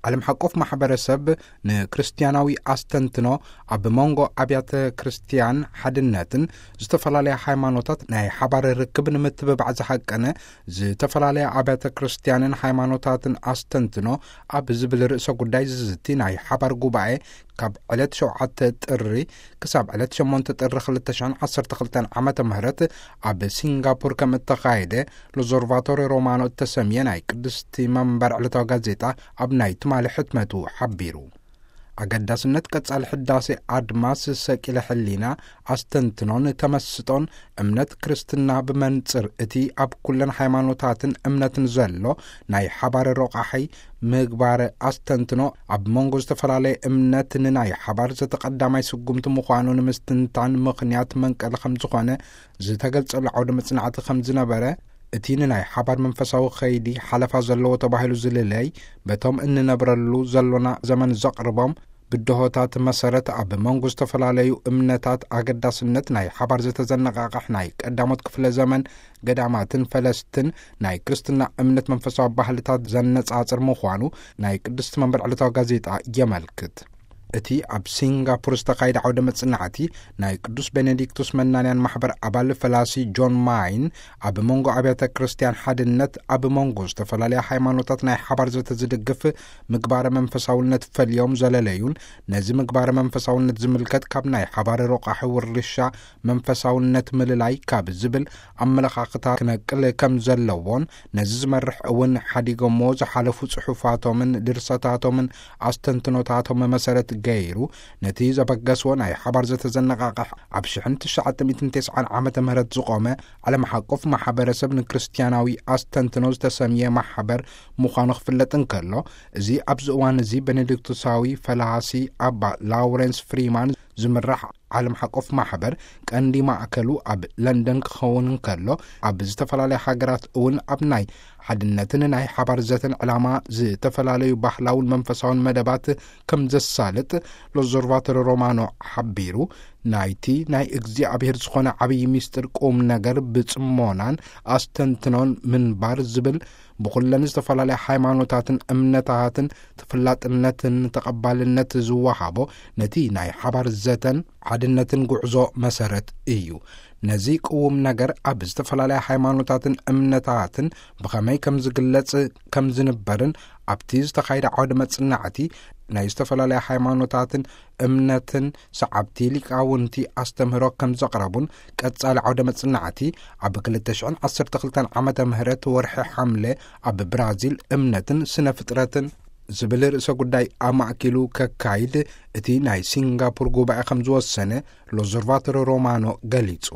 ዓለም ሓቆፍ ማሕበረሰብ ንክርስቲያናዊ ኣስተንትኖ ኣብ መንጎ ኣብያተ ክርስቲያን ሓድነትን ዝተፈላለያ ሃይማኖታት ናይ ሓባር ርክብ ንምትብባዕ ዝሃቀነ ዝተፈላለያ ኣብያተ ክርስቲያንን ሃይማኖታትን ኣስተንትኖ ኣብ ዝብል ርእሰ ጉዳይ ዝዝቲ ናይ ሓባር ጉባኤ ካብ ዕለት ሸውዓተ ጥሪ ክሳብ ዕለት ሸሞንተ ጥሪ ክልተ ሽሕን ዓሰርተ ክልተን ዓመተ ምህረት ኣብ ሲንጋፖር ከም እተኻየደ ሎዞርቫቶሪ ሮማኖ እተሰምየ ናይ ቅድስቲ መንበር ዕለታዊ ጋዜጣ ኣብ ናይ ትማሊ ሕትመቱ ሓቢሩ። ኣገዳስነት ቀጻሊ ሕዳሴ ኣድማስ ሰቂለ ሕሊና ኣስተንትኖን ተመስጦን እምነት ክርስትና ብመንጽር እቲ ኣብ ኩለን ሃይማኖታትን እምነትን ዘሎ ናይ ሓባር ሮቃሒ ምግባር ኣስተንትኖ ኣብ መንጎ ዝተፈላለየ እምነት ንናይ ሓባር ዘተቀዳማይ ስጉምቲ ምዃኑ ንምስትንታን ምኽንያት መንቀሊ ከም ዝኾነ ዝተገልጸሉ ዓውደ መጽናዕቲ ከም ዝነበረ፣ እቲ ንናይ ሓባር መንፈሳዊ ኸይዲ ሓለፋ ዘለዎ ተባሂሉ ዝልለይ በቶም እንነብረሉ ዘሎና ዘመን ዘቕርቦም ብድሆታት መሰረት ኣብ መንጎ ዝተፈላለዩ እምነታት ኣገዳስነት ናይ ሓባር ዘተዘነቃቕሕ ናይ ቀዳሞት ክፍለ ዘመን ገዳማትን ፈለስትን ናይ ክርስትና እምነት መንፈሳዊ ባህልታት ዘነጻጽር ምዃኑ ናይ ቅድስቲ መንበር ዕለታዊ ጋዜጣ የመልክት። እቲ ኣብ ሲንጋፖር ዝተኻየደ ዓውደ መጽናዕቲ ናይ ቅዱስ ቤኔዲክቱስ መናንያን ማሕበር ኣባል ፈላሲ ጆን ማይን ኣብ መንጎ ኣብያተ ክርስቲያን ሓድነት ኣብ መንጎ ዝተፈላለያ ሃይማኖታት ናይ ሓባር ዘተ ዝድግፍ ምግባረ መንፈሳውነት ፈልዮም ዘለለዩን ነዚ ምግባረ መንፈሳውነት ዝምልከት ካብ ናይ ሓባር ሮቃሒ ውርሻ መንፈሳውነት ምልላይ ካብ ዝብል ኣመለኻኽታ ክነቅል ከም ዘለዎን ነዚ ዝመርሕ እውን ሓዲጎሞ ዝሓለፉ ጽሑፋቶምን ድርሰታቶምን ኣስተንትኖታቶም መሰረት ገይሩ ነቲ ዘበገስዎ ናይ ሓባር ዘተዘነቃቕሕ ኣብ ሽሕን ትሽዓተ ሚእትን ተስዓን ዓመተ ምህረት ዝቖመ ዓለም ሓቆፍ ማሕበረሰብ ንክርስቲያናዊ ኣስተንትኖ ዝተሰምየ ማሕበር ምዃኑ ክፍለጥ እንከሎ፣ እዚ ኣብዚ እዋን እዚ ቤኔዲክቱሳዊ ፈላሲ ኣባ ላውረንስ ፍሪማን ዝምራሕ ዓለም ሓቆፍ ማሕበር ቀንዲ ማእከሉ ኣብ ለንደን ክኸውን እንከሎ፣ ኣብ ዝተፈላለያ ሃገራት እውን ኣብ ናይ ሓድነትን ናይ ሓባር ዘተን ዕላማ ዝተፈላለዩ ባህላውን መንፈሳውን መደባት ከም ዘሳልጥ ሎዞርቫቶሪ ሮማኖ ሓቢሩ፣ ናይቲ ናይ እግዚኣብሔር ዝኾነ ዓብዪ ምስጢር ቁም ነገር ብጽሞናን ኣስተንትኖን ምንባር ዝብል ብኹለን ዝተፈላለያ ሃይማኖታትን እምነታትን ተፈላጥነትን ተቐባልነት ዝወሃቦ ነቲ ናይ ሓባር ዘተን ሓድነትን ጉዕዞ መሰረት እዩ። ነዚ ቅዉም ነገር ኣብ ዝተፈላለያ ሃይማኖታትን እምነታትን ብኸመይ ከም ዝግለጽ ከም ዝንበርን ኣብቲ ዝተኻየደ ዓውደ መጽናዕቲ ናይ ዝተፈላለያ ሃይማኖታትን እምነትን ሰዓብቲ ሊቃውንቲ ኣስተምህሮ ከም ዘቕረቡን ቀጻሊ ዓውደ መጽናዕቲ ኣብ ክልተ ሽሕን ዓሰርተ ክልተን ዓመተ ምህረት ወርሒ ሓምለ ኣብ ብራዚል እምነትን ስነ ፍጥረትን ዝብል ርእሰ ጉዳይ ኣማእኪሉ ከካይድ እቲ ናይ ሲንጋፖር ጉባኤ ከም ዝወሰነ ሎዞርቫቶሪ ሮማኖ ገሊጹ።